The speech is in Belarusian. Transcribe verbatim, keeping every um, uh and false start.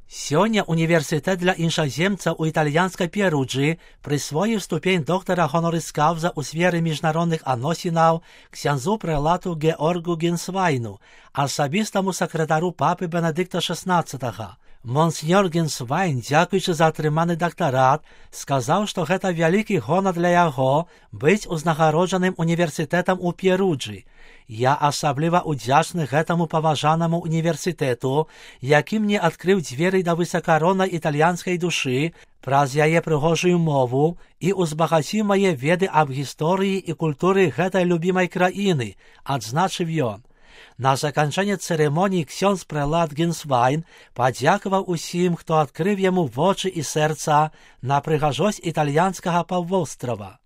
Сёння універсітэт для іншаземцаў у італьянскай Перуджы прысвоіў ступень доктара хонорис каўза ў сферы міжнародных адносінаў ксяндзу прэлату Георгу Генсвайну, асабістаму сакратару папы Бенедыкта шаснаццатага. Монсеньор Генсвайн, дзякуючы за атрыманы дактарат, сказаў, што гэта вялікі гонар для яго быць узнагароджаным універсітэтам у Перуджы. Я асабліва удзячны гэтаму паважанаму універсітэту, які мне адкрыў дзверы да высакароннай італьянскай душы праз яе прыгожую мову і узбагаціў мае веды аб гісторыі і культуры гэтай любімай краіны, адзначыў ён. На заканчэнне цырымоніі ксёндз прэлат Генсвайн падзякаваў усім, хто адкрыў яму вочы і сэрца на прыгажосць італьянскага паўвострава.